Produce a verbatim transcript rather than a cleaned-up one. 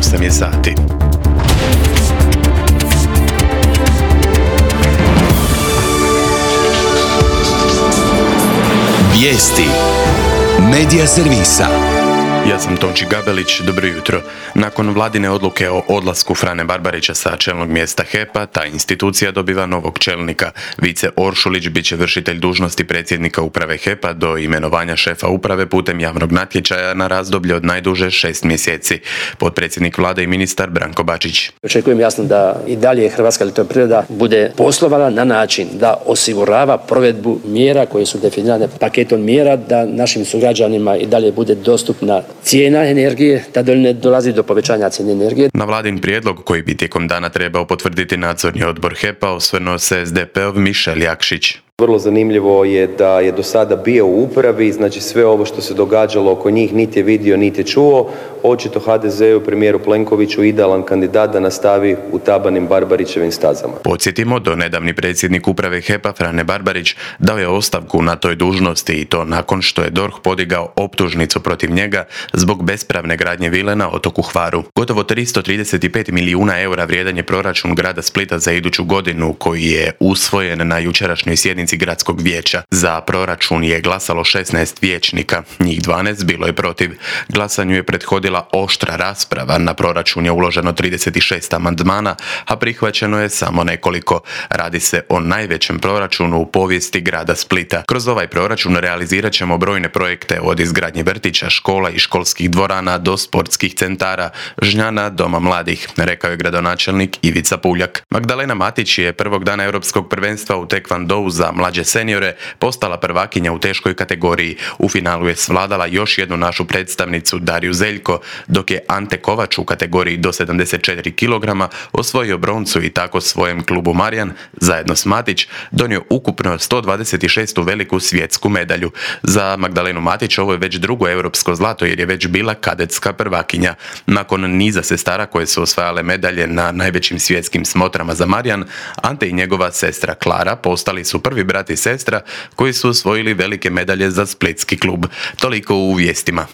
osam je sati. Vijesti Medija servisa. Ja sam Tonči Gabelić, dobro jutro. Nakon vladine odluke o odlasku Frane Barbarića sa čelnog mjesta H E P-a, ta institucija dobiva novog čelnika. Vice Oršulić bit će vršitelj dužnosti predsjednika uprave H E P-a do imenovanja šefa uprave putem javnog natječaja na razdoblje od najduže šest mjeseci. Potpredsjednik vlade i ministar Branko Bačić. Očekujem jasno da i dalje Hrvatska elektroprivreda bude poslovala na način da osigurava provedbu mjera koje su definirane paketom mjera, da našim sugrađanima i dalje bude dostupna cijena energije, da ne dolazi do povećanja cijene energije. Na vladin prijedlog koji bi tijekom dana trebao potvrditi nadzorni odbor H E P-a osvrnuo se S D P-ov Mišel Jakšić. Vrlo zanimljivo je da je do sada bio u upravi, znači sve ovo što se događalo oko njih niti je vidio, niti je čuo. Očito H D Z-u, premijeru Plenkoviću, idealan kandidat da nastavi utabanim Barbarićevim stazama. Podsjetimo, do nedavni predsjednik uprave H E P-a Frane Barbarić dao je ostavku na toj dužnosti i to nakon što je D O R H podigao optužnicu protiv njega zbog bespravne gradnje vile na otoku Hvaru. Gotovo tristo trideset pet milijuna eura vrijedan je proračun grada Splita za iduću godinu koji je usvojen na jučerašnjoj sjednici gradskog vijeća. Za proračun je glasalo šesnaest vijećnika, njih dvanaest bilo je protiv. Glasanju je prethodila oštra rasprava, na proračun je uloženo trideset šest amandmana, a prihvaćeno je samo nekoliko. Radi se o najvećem proračunu u povijesti grada Splita. Kroz ovaj proračun realizirat ćemo brojne projekte od izgradnje vrtića, škola i školskih dvorana do sportskih centara, žnjana, doma mladih, rekao je gradonačelnik Ivica Puljak. Magdalena Matić je prvog dana europskog prvenstva u tekvandou za mlađe seniore postala prvakinja u teškoj kategoriji. U finalu je svladala još jednu našu predstavnicu Dariju Zeljko, dok je Ante Kovač u kategoriji do sedamdeset četiri kilograma osvojio broncu i tako svojem klubu Marjan, zajedno s Matić, donio ukupno sto dvadeset šestu veliku svjetsku medalju. Za Magdalenu Matić ovo je već drugo europsko zlato jer je već bila kadetska prvakinja. Nakon niza sestara koje su osvajale medalje na najvećim svjetskim smotrama za Marjan, Ante i njegova sestra Klara postali su prvi brat i sestra koji su osvojili velike medalje za splitski klub. Toliko u vijestima.